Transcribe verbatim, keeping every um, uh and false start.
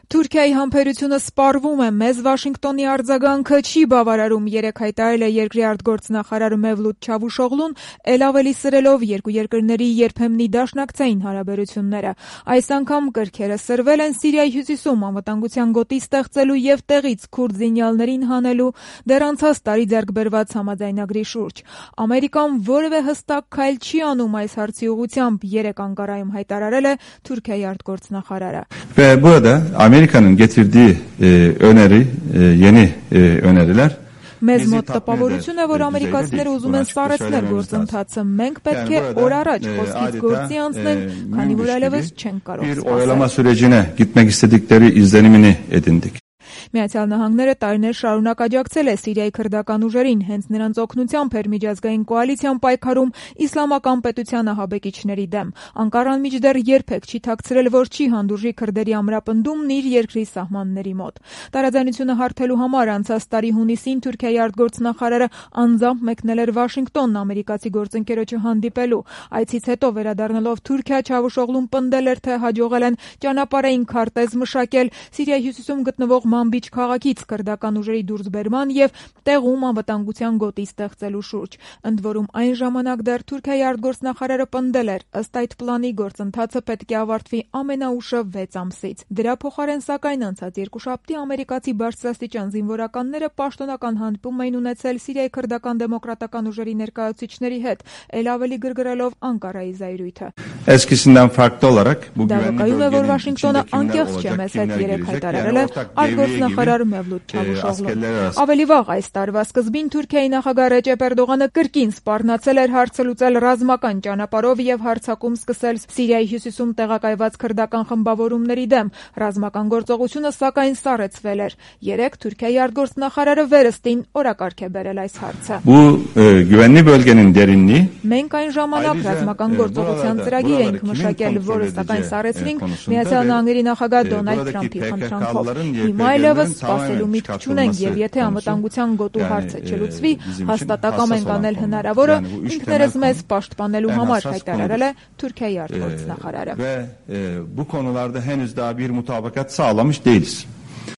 Թուրքիայի համբերությունը սպառվում է, մեզ Վաշինգտոնի արձագանքը չի բավարարում, երեկ հայտարարել է երկրի արտգործնախարար Մևլութ Չավուշօղլուն, էլ ավելի սրելով երկու երկրների երբեմնի դաշնակցային հարաբերությունները։ Այս անգամ կրքերը սրվել են Սիրիայի հյուսիսում անվտանգության գոտի ստեղծելու եւ տեղից քուրդ զինյալներին հանելու դեռ անցած տարի ձեռք բերված համաձայնագրի շուրջ։ Ամերիկան որևէ հստակ քայլ չի անում այս հարցի ուղղությամբ, երեկ Անկարայում հայտարարել է Թուրքիայի արտգործնախարարը։ Amerika'nın getirdiği e, öneri, e, yeni e, öneriler Մեզ մոտ տպավորություն է, որ ամերիկացիները ուզում են սառեցնել գործընթացը։ Մենք պետք է օր առաջ խոսքից գործի անցնենք, քանի որ այլևս չենք կարող bir oyalama sürecine gitmek istedikleri izlenimini edindik. Միացյալ Նահանգները տարիներ շարունակ աջակցել է Սիրիայի քրդական ուժերին, հենց նրանց օգնությամբ էր միջազգային կոալիցիան պայքարում իսլամական պետության ահաբեկիչների դեմ։ Անկարան մինչդեռ երբեք չի թաքցրել, որ չի հանդուրժի քրդերի ամրապնդումն իր երկրի սահմանների մոտ։ Տարաձայնությունը հարթելու համար անցած տարի հունիսին Թուրքիայի արտգործնախարարը անձամբ մեկնել էր Վաշինգտոն ամերիկացի գործընկերոջը հանդիպելու։ Այցից հետո վերադառնալով Թուրքիա, Չավուշօղլուն պնդել էր, թե հաջողել են ճանապարհային քարտեզ մշակել Սիրիայի հյուսիսում գտնվող Մանբիջ քաղաքից քրդական ուժերի դուրսբերման եւ տեղում անվտանգության գոտի ստեղծելու շուրջ։ Ընդ որում այն ժամանակ դեռ Թուրքիայի արտգործնախարարը պնդել էր, ըստ այդ պլանի գործընթացը պետք է ավարտվի ամենաուշը վեց ամսից։ Դրա փոխարեն սակայն անցած երկուշաբթի ամերիկացի բարձրաստիճան զինվորականները պաշտոնական հանդիպում էին ունեցել Սիրիայի քրդական դեմոկրատական ուժերի ներկայացուցիչների հետ, ել ավելի գրգռելով Անկարայի զայրույթը։ Eskisinden farklı olarak bu güvenli bölgenin Վաշինգտոնը անկեղծ չէ, մեզ հետ երեք հայտարարել է արտգործնախարար Մևլութ Չավուշօղլուն։ Ավելի վաղ այս տարվա սկզբին Թուրքիայի նախագահ Ռեջեփ Էրդողանը կրկին սպառնացել էր հարցը լուծել ռազմական ճանապարհով եւ հարձակում սկսել Սիրիայի հյուսիսում տեղակայված քրդական խմբավորումների դեմ։ Ռազմական գործողությունը սակայն սառեցվել էր։ Երեկ Թուրքիայի արտգործնախարարը վերստին օրակարգ է բերել այս հարցը։ Bu güvenli bölgenin derinliği Մենք այն ժամանակ ռազմական գործողության ծրագիր էինք մշակել, որը սակայն սառեցրինք Միացյալ Նահանգների նախագահ Դոնալդ Թրամփի խնդրանքով։ Հիմա այլևս սպասելու միտք չունենք եւ եթե անվտանգության գոտու հարցը չլուծվի, հաստատակամ ենք անել հնարավորը ինքներս մեզ պաշտպանելու համար, հայտարարել է Թուրքիայի արտգործնախարարը։ Bu konularda henüz daha bir mutabakat sağlamış değiliz.